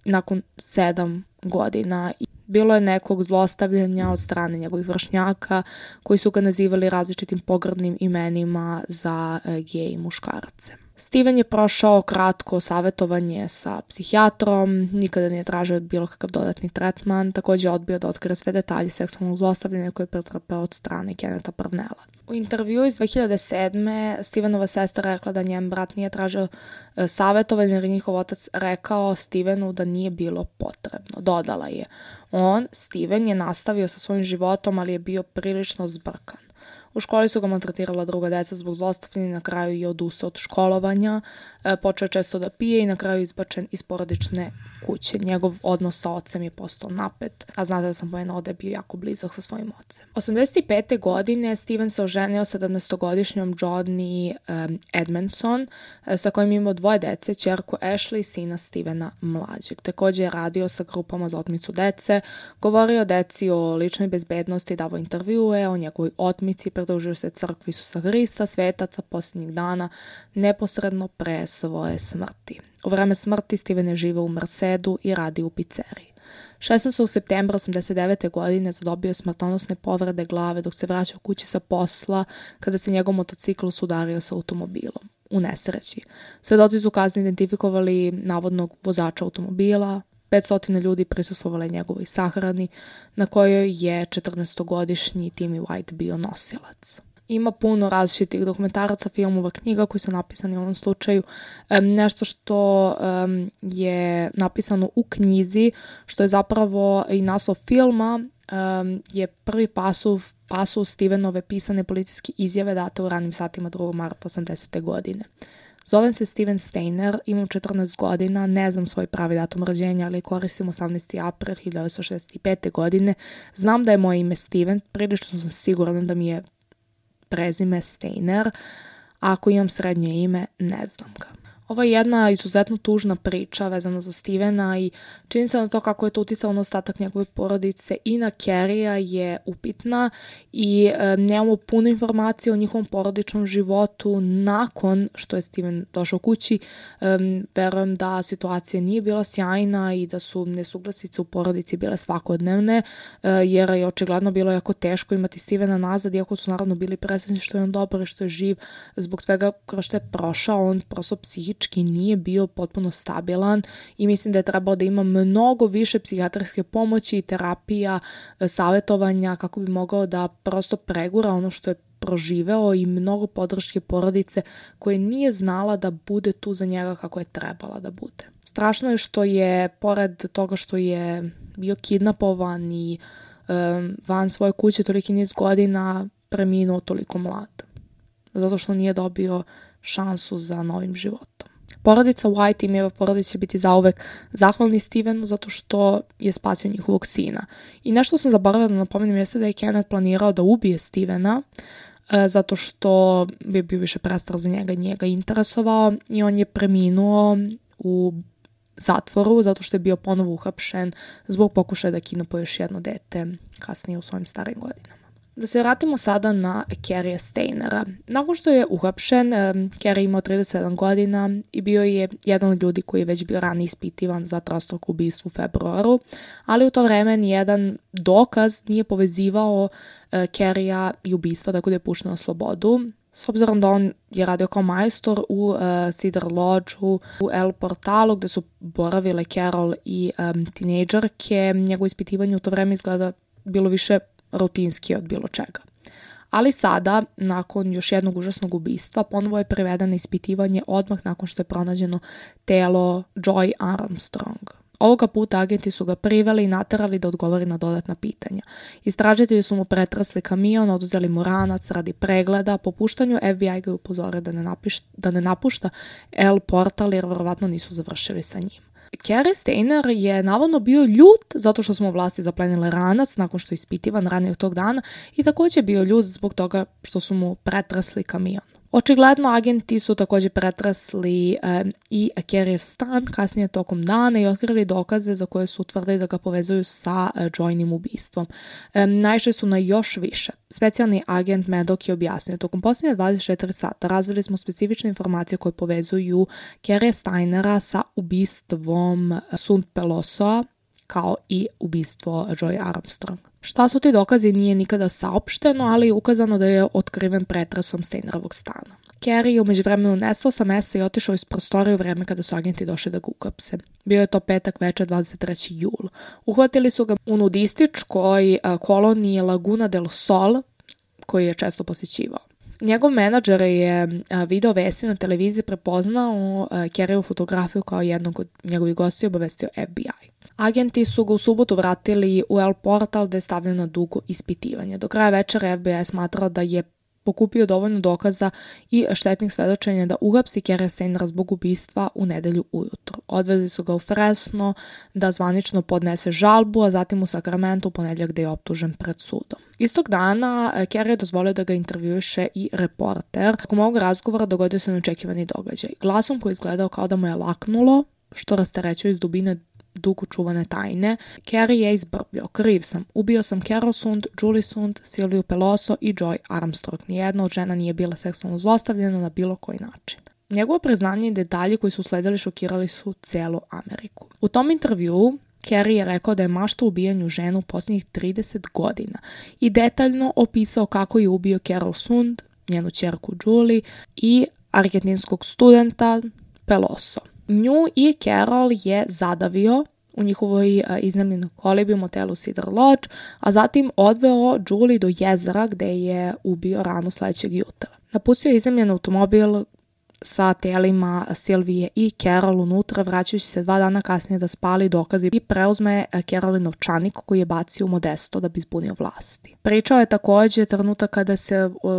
nakon 7 godina. Bilo je nekog zlostavljanja od strane njegovih vršnjaka koji su ga nazivali različitim pogrdnim imenima za gej muškarce. Steven je prošao kratko savjetovanje sa psihijatrom, nikada nije tražio bilo kakav dodatni tretman, također je odbio da otkrije sve detalje seksualnog zlostavljanja koje je pretrpeo od strane Kennetha Parnella. U intervju iz 2007. Stevenova sestra rekla da njen brat nije tražio savjetovanje jer njihov otac rekao Stevenu da nije bilo potrebno. Dodala je, Steven je nastavio sa svojim životom, ali je bio prilično zbrkan. U školi su ga maltretirala druga deca zbog zlostavljanja i na kraju je odustao od školovanja. Počeo je često da pije i na kraju izbačen iz porodične kuće. Njegov odnos sa ocem je postao napet, a znate da sam pomenula da je bio jako blizak sa svojim ocem. 85. godine Steven se oženio 17-godišnjom Joni Edmondson, sa kojim imao 2 dece, ćerku Ashley i sina Stevena mlađeg. Također je radio sa grupama za otmicu dece, govorio o deci, o ličnoj bezbednosti, davao intervjue o njegovoj otmici, pridružio se crkvi Isusa Hrista, svetaca posljednjih dana, neposredno pre svoje smrti. U vreme smrti Steven je živeo u Mercedu i radio u pizzeriji. 16. septembra 89. godine zadobio je smrtonosne povrede glave dok se vraćao kući sa posla kada se njegov motocikl sudario sa automobilom u nesreći. Svedoci su kasnije identifikovali navodnog vozača automobila. 500 ljudi prisustvovali njegovoj sahrani na kojoj je 14-godišnji Timmy White bio nosilac. Ima puno različitih dokumentaraca, filmova, knjiga koji su napisani u ovom slučaju. Nešto što je napisano u knjizi, što je zapravo i naslov filma, je prvi pasus Stevenove pisane policijske izjave date u ranim satima 2. marta 80. godine. Zovem se Steven Steiner, imam 14 godina, ne znam svoj pravi datum rođenja, ali koristim 18. april 1965. godine. Znam da je moje ime Steven, prilično sam siguran da mi je prezime Steiner, a ako imam srednje ime, ne znam ga. Ovo je jedna izuzetno tužna priča vezana za Stevena i čini se na to kako je to uticalo na ostatak njegove porodice i na Carrieja je upitna i nemamo puno informacije o njihovom porodičnom životu nakon što je Steven došao kući. Verujem da situacija nije bila sjajna i da su nesuglasice u porodici bile svakodnevne, jer je očigledno bilo jako teško imati Stevena nazad, iako su naravno bili presretni što je on dobar i što je živ. Zbog svega kroz što je prošao, on prosto psihički nije bio potpuno stabilan i mislim da je trebao da ima mnogo više psihijatrijske pomoći i terapija, savjetovanja kako bi mogao da prosto pregura ono što je proživeo i mnogo podrške porodice koje nije znala da bude tu za njega kako je trebala da bude. Strašno je što je, pored toga što je bio kidnapovan i van svoje kuće toliki niz godina, preminuo toliko mlad. Zato što nije dobio šansu za novim životom. Porodica White i Mijeva porodica će biti zauvek zahvalni Stevenu zato što je spasio njihovog sina. I nešto sam zaboravila da napomenem jeste da je Kenneth planirao da ubije Stevena zato što bi bio više prestrah za njega interesovao i on je preminuo u zatvoru zato što je bio ponovo uhapšen zbog pokušaja da kidnapuje još jedno dete kasnije u svojim starim godinama. Da se vratimo sada na Carrieja Steinera. Nakon što je uhapšen, Carrie imao 37 godina i bio je jedan od ljudi koji je već bio ranije ispitivan za trostruko ubistvo u februaru, ali u to vreme nijedan dokaz nije povezivao Carrieja i ubistva, tako da je pušten na slobodu. S obzirom da on je radio kao majstor u Cedar Lodge-u, u El Portalu, gde su boravile Carol i tinejdžerke, njegovo ispitivanje u to vreme izgleda bilo više rutinski od bilo čega. Ali sada, nakon još jednog užasnog ubistva, ponovo je priveden na ispitivanje odmah nakon što je pronađeno telo Joy Armstrong. Ovoga puta agenti su ga priveli i naterali da odgovori na dodatna pitanja. Istražitelji su mu pretresli kamion, oduzeli mu ranac radi pregleda, po puštanju FBI ga je upozorio da ne napušta El Portal jer verovatno nisu završili sa njim. Carrie Steiner je navodno bio ljut zato što smo vlasti zaplenile ranac nakon što je ispitivan ranije tog dana i također bio ljut zbog toga što su mu pretresli kamion. Očigledno agenti su također pretresli i Carriejev stan kasnije tokom dana i otkrili dokaze za koje su utvrdili da ga povezuju sa Joynim ubistvom. Naišli su na još više. Specijalni agent Maddox je objasnio: tokom posljednje 24 sata razvili smo specifične informacije koje povezuju Carrieja Steinera sa ubistvom Sunt Pelosoa, kao i ubistvo Joy Armstrong. Šta su ti dokazi nije nikada saopšteno, ali je ukazano da je otkriven pretresom Steinerovog stana. Carrie je u međuvremenu nestao sa mesta i otišao iz prostorije u vreme kada su agenti došli da ga uhapse. Bio je to petak večer 23. jul. Uhvatili su ga u nudističkoj koloniji Laguna del Sol, koji je često posjećivao. Njegov menadžer je video vesti na televiziji prepoznao Carriejevu fotografiju kao jednog od njegovih gostiju i obavestio FBI. Agenti su ga u subotu vratili u El Portal gde je stavljeno na dugo ispitivanje. Do kraja večera FBI smatrao da je pokupio dovoljno dokaza i štetnih svedočenja da uhapsi Kerrya Stainera zbog ubistva u nedelju ujutro. Odvezli su ga u Fresno da zvanično podnese žalbu, a zatim u Sacramento u ponedjeljak gde je optužen pred sudom. Istog dana Kerry je dozvolio da ga intervjuiše i reporter. Tokom ovog razgovora dogodio se neočekivani događaj. Glasom koji je izgledao kao da mu je laknulo, što rasterećuje iz dubine dugo čuvane tajne, Kerry je izbrbljao: kriv sam, ubio sam Carol Sund, Julie Sund, Silviju Peloso i Joy Armstrong. Nijedna od žena nije bila seksualno zlostavljena na bilo koji način. Njegovo priznanje i detalji koji su usledili šokirali su celu Ameriku. U tom intervjuu Kerry je rekao da je maštao o ubijanju žena u posljednjih 30 godina i detaljno opisao kako je ubio Carol Sund, njenu ćerku Julie i argentinskog studenta Peloso. Nju i Carol je zadavio u njihovoj iznajmljenoj kolibi u motelu Cedar Lodge, a zatim odveo Julie do jezera gde je ubio rano sledećeg jutra. Napustio je iznajmljen automobil sa telima Silvije i Carol unutra, vraćajući se 2 dana kasnije da spali dokazi i preuzme Carolin novčanik koji je bacio u Modesto da bi zbunio vlasti. Pričao je također trenutak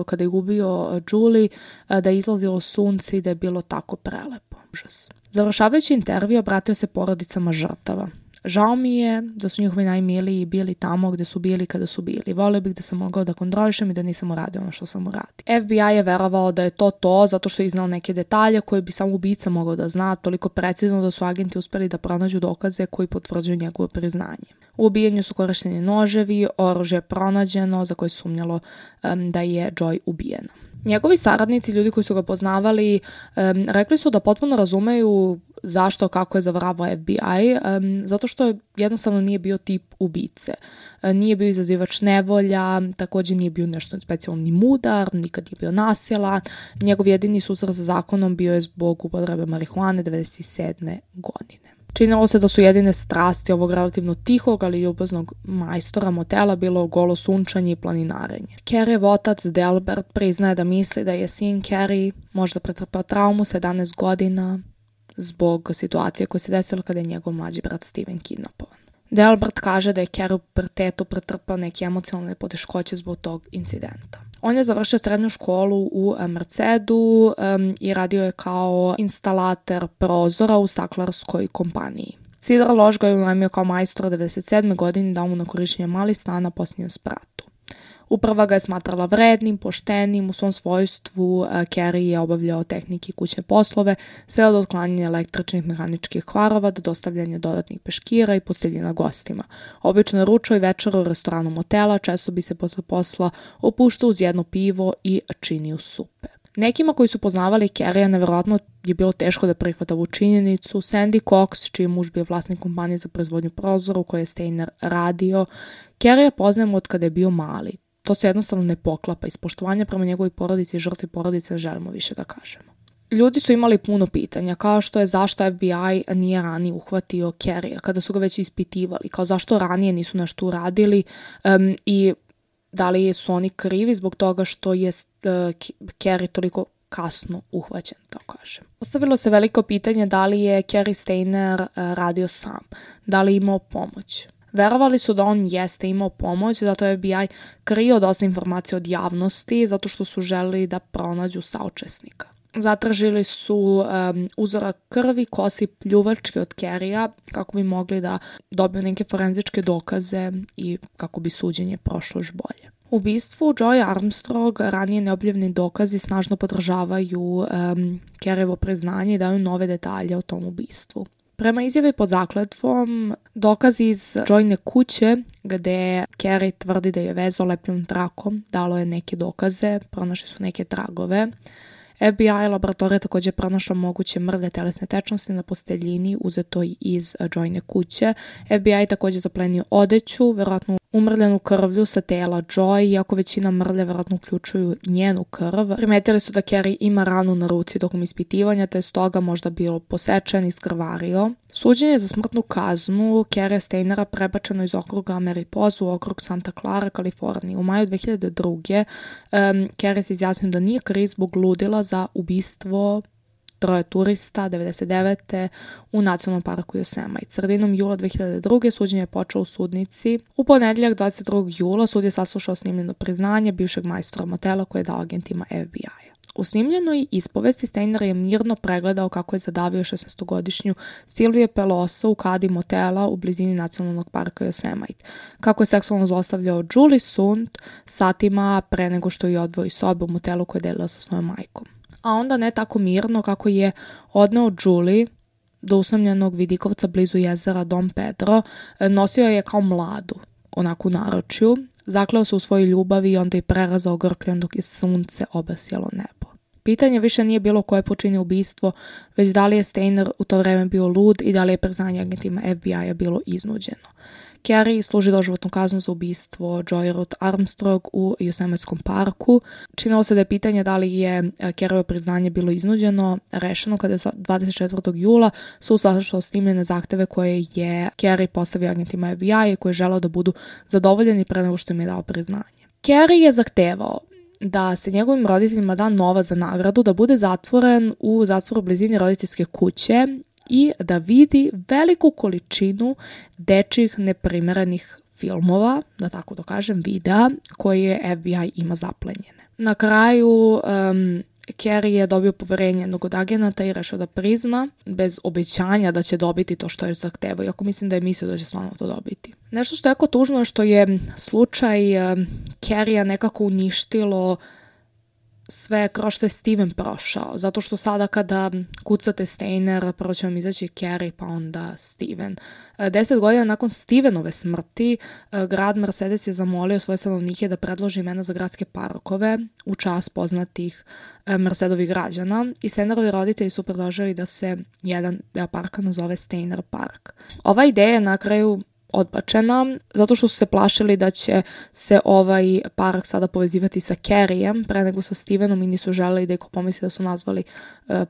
kada je ubio Julie, da je izlazilo sunce i da je bilo tako prelepo. Užas. Završavajući intervju, obratio se porodicama žrtava. Žao mi je da su njihovi najmiliji bili tamo gde su bili kada su bili. Volio bih da sam mogao da kontrolišem i da nisam uradio ono što sam uradio. FBI je verovao da je to zato što je iznao neke detalje koje bi samo ubica mogao da zna, toliko precizno da su agenti uspeli da pronađu dokaze koji potvrđuju njegovo priznanje. U ubijanju su korišteni noževi, oružje je pronađeno za koje sumnjalo da je Joy ubijena. Njegovi saradnici, ljudi koji su ga poznavali, rekli su da potpuno razumeju zašto, kako je zavaravao FBI, zato što jednostavno nije bio tip ubice. Nije bio izazivač nevolja, također nije bio nešto specijalno ni mudar, nikad nije bio nasilan. Njegov jedini susret sa zakonom bio je zbog upotrebe marihuane 1997. godine. Činilo se da su jedine strasti ovog relativno tihog, ali ljubaznog majstora motela bilo golo sunčanje i planinarenje. Kerryev otac Delbert priznaje da misli da je sin Kerry možda pretrpao traumu sa 11 godina zbog situacije koja se desila kada je njegov mlađi brat Steven kidnapovan. Delbert kaže da je Kerry u pubertetu pretrpao neke emocionalne poteškoće zbog tog incidenta. On je završio srednju školu u Mercedu i radio je kao instalater prozora u staklarskoj kompaniji. Cedar Lodge ga je unajmio kao majstora 1997. godine i dao mu na korištenje mali stan na posljednjem spratu. Uprava ga je smatrala vrednim, poštenim, u svom svojstvu Kerry je obavljao tehnike i kućne poslove, sve od otklanjanja električnih mehaničkih kvarova do dostavljanja dodatnih peškira i posteljina gostima. Obično ručao i večera u restoranu motela, često bi se posle posla opuštao uz jedno pivo i činio supe. Nekima koji su poznavali Kerrya nevjerojatno je bilo teško da prihvata ovu činjenicu. Sandy Cox, čiji je muž bio vlasnik kompanije za proizvodnju prozora u kojoj je Stainer radio, Kerrya poznajemo od kada je bio mali. To se jednostavno ne poklapa. Iz poštovanja prema njegovoj porodici i žrtvi porodice želimo više da kažemo. Ljudi su imali puno pitanja, kao što je zašto FBI nije ranije uhvatio Kerrya kada su ga već ispitivali, kao zašto ranije nisu nešto uradili i da li su oni krivi zbog toga što je Kerry toliko kasno uhvaćen, tako kažem. Postavilo se veliko pitanje da li je Kerry Stainer radio sam, da li je imao pomoć. Verovali su da on jeste imao pomoć, zato je FBI krio dosta informacija od javnosti, zato što su želeli da pronađu saučesnika. Zatražili su uzorak krvi, kosi, pljuvačke od Kerrya kako bi mogli da dobiju neke forenzičke dokaze i kako bi suđenje prošlo još bolje. U ubistvu Joy Armstrong ranije neobjavljeni dokazi snažno podržavaju Kerryevo priznanje i daju nove detalje o tom ubistvu. Prema izjavi pod zakletvom, dokazi iz Joyne kuće gde Kerry tvrdi da je vezao lepljevom trakom, dalo je neke dokaze, pronašli su neke tragove. FBI laboratorija također pronašla moguće mrlje telesne tečnosti na posteljini uzetoj iz Joyne kuće. FBI također zaplenio odeću, verovatno umrljenu krvlju sa tela Joy, iako većina mrlje verovatno uključuju njenu krv. Primetili su da Kerry ima ranu na ruci tokom ispitivanja, te je stoga možda bio posečen i skrvario. Suđenje za smrtnu kaznu Kerrya Stainera prebačeno iz okruga Mariposa u okrug Santa Clara, Kalifornije. U maju 2002. Kerry se izjasnio da nije kriv zbog ludila za ubistvo 3 turista 99. u nacionalnom parku Yosemite. Sredinom jula 2002. suđenje je počelo u sudnici. U ponedjeljak 22. jula sud je saslušao snimljeno priznanje bivšeg majstora motela koje je dao agentima FBI-a. U snimljenoj ispovesti Steiner je mirno pregledao kako je zadavio 16-godišnju Silvije Peloso u kadi motela u blizini nacionalnog parka Yosemite, kako je seksualno zlostavljao Julie Sund satima pre nego što je odveo iz sobe u motelu koje je delila sa svojom majkom. A onda ne tako mirno kako je odneo Julie do usamljenog vidikovca blizu jezera Dom Pedro, nosio je kao mladu, onako u naručju, zakleo se u svojoj ljubavi i onda je prerazao grkljan dok je sunce obasjalo nebo. Pitanje više nije bilo ko je počinio ubistvo, već da li je Steiner u to vreme bio lud i da li je priznanje agentima FBI-a bilo iznuđeno. Carey služi doživotnu kaznu za ubistvo Joy Ruth Armstrong u Yosemitskom parku. Činilo se da je pitanje da li je Careyvo priznanje bilo iznuđeno rešeno kada je 24. jula sud saslušao snimljene zahteve koje je Carey postavio agentima FBI-a i koje je želeo da budu zadovoljeni pre nego što im je dao priznanje. Carey je zahtevao da se njegovim roditeljima da novac za nagradu, da bude zatvoren u zatvoru u blizini roditeljske kuće i da vidi veliku količinu dečjih neprimerenih filmova, da tako da kažem, videa koje FBI ima zaplenjene. Na kraju Carey je dobio poverenje jednog od agenata i rešio da prizna bez obećanja da će dobiti to što je zahtevao, iako mislim da je mislio da će stvarno to dobiti. Nešto što je jako tužno je što je slučaj Careya nekako uništilo sve kroz što je Steven prošao, zato što sada kada kucate Steiner, prvo će vam izaći Carey pa onda Steven. 10 godina nakon Stevenove smrti, grad Mercedes je zamolio svoje stanovnike da predloži imena za gradske parkove u čast poznatih Mercedovih građana i Steinerovi roditelji su predložili da se jedan deo parka nazove Steiner Park. Ova ideja je na kraju odbačena, zato što su se plašili da će se ovaj park sada povezivati sa Careyem pre nego sa Stevenom i nisu želeli da iko pomisli da su nazvali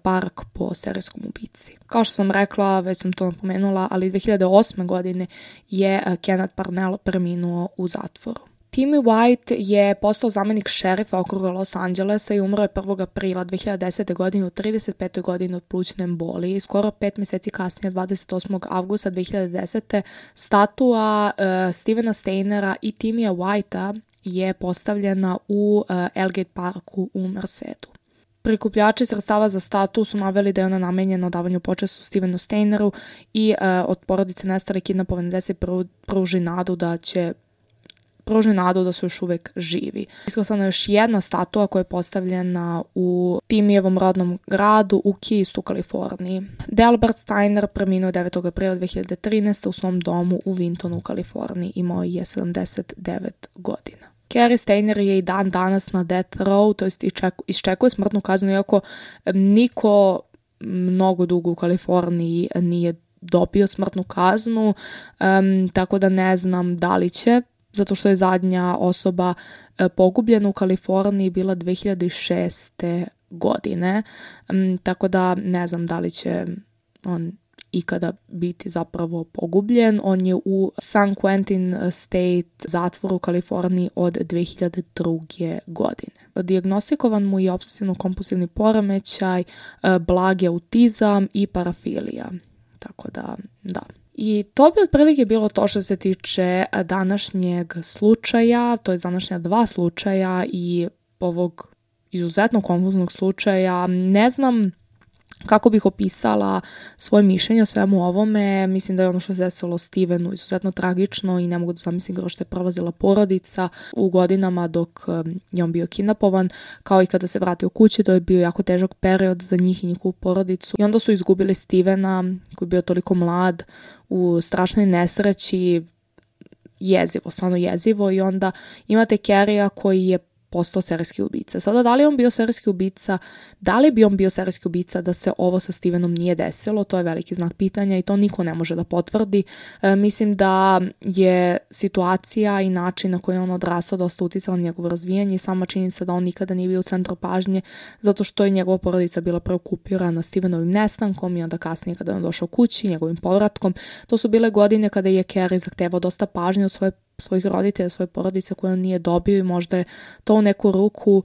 park po serijskom ubici. Kao što sam rekla, već sam to napomenula, ali 2008. godine je Kenneth Parnell preminuo u zatvoru. Timmy White je postao zamenik šerifa okruga Los Angelesa i umro je 1. aprila 2010. godine u 35. godini od plućne embolije. Skoro 5 mjeseci kasnije, 28. avgusta 2010. statua Stevena Steinera i Timmya Whitea je postavljena u Elgate Parku u Mercedu. Prikupljači sredstava za statu su naveli da je ona namenjena davanju počasti Stevenu Steineru i od porodice nestale kidnapovane dece pruži nadu da su još uvek živi. Isklasana je još jedna statua koja je postavljena u Timijevom rodnom gradu u Keysu, Kaliforniji. Delbert Steiner preminuo 9. aprila 2013. u svom domu u Wintonu, Kaliforniji. Imao je 79 godina. Cary Steiner je i dan danas na death row, to jest iščekuje smrtnu kaznu, iako niko mnogo dugo u Kaliforniji nije dobio smrtnu kaznu, tako da ne znam da li će, zato što je zadnja osoba pogubljena u Kaliforniji bila 2006. godine, tako da ne znam da li će on ikada biti zapravo pogubljen. On je u San Quentin State zatvoru u Kaliforniji od 2002. godine. Dijagnostikovan mu je obsesivno-kompulsivni poremećaj, blagi autizam i parafilija. Tako da. I to bi otprilike bilo to što se tiče današnjeg slučaja, to je današnja 2 slučaja i ovog izuzetno konfuznog slučaja. Ne znam kako bih opisala svoje mišljenje o svemu ovome. Mislim da je ono što se desilo Stevenu izuzetno tragično i ne mogu da zamislim kroz što je prolazila porodica u godinama dok je on bio kidnapovan, kao i kada se vratio kući, to je bio jako težak period za njih i njihovu porodicu. I onda su izgubili Stevena, koji je bio toliko mlad, u strašnoj nesreći, jezivo, stvarno jezivo, i onda imate Careya koji je postao serijski ubica. Sada, da li bi on bio serijski ubica da se ovo sa Stevenom nije desilo, to je veliki znak pitanja i to niko ne može da potvrdi. Mislim da je situacija i način na koji je on odrastao dosta uticala na njegovo razvijanje i sama činjenica da on nikada nije bio u centru pažnje, zato što je njegova porodica bila preokupirana Stevenovim nestankom i onda kasnije kada je on došao kući, njegovim povratkom. To su bile godine kada je Carey zahtevao dosta pažnje od svoje svojih roditelja, svoje porodice koje on nije dobio i možda je to u neku ruku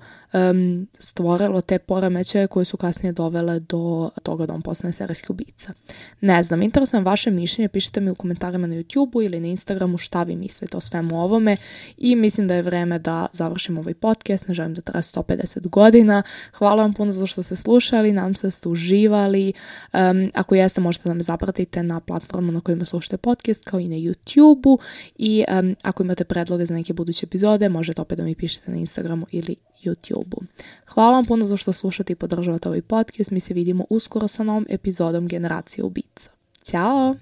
stvorilo te poremećaje koje su kasnije dovele do toga da on postane serijski ubica. Ne znam, interesujem vaše mišljenje, pišite mi u komentarima na YouTubeu ili na Instagramu šta vi mislite o svemu ovome i mislim da je vreme da završim ovaj podcast, ne želim da traje 150 godina. Hvala vam puno za što ste slušali, nadam se da ste uživali. Ako jeste, možete da me zapratite na platformu na kojima slušate podcast, kao i na YouTubeu i ako imate predloge za neke buduće epizode, možete opet da mi pišete na Instagramu ili YouTubeu. Hvala vam puno za što slušate i podržavate ovaj podcast. Mi se vidimo uskoro sa novom epizodom Generacije ubica. Ćao!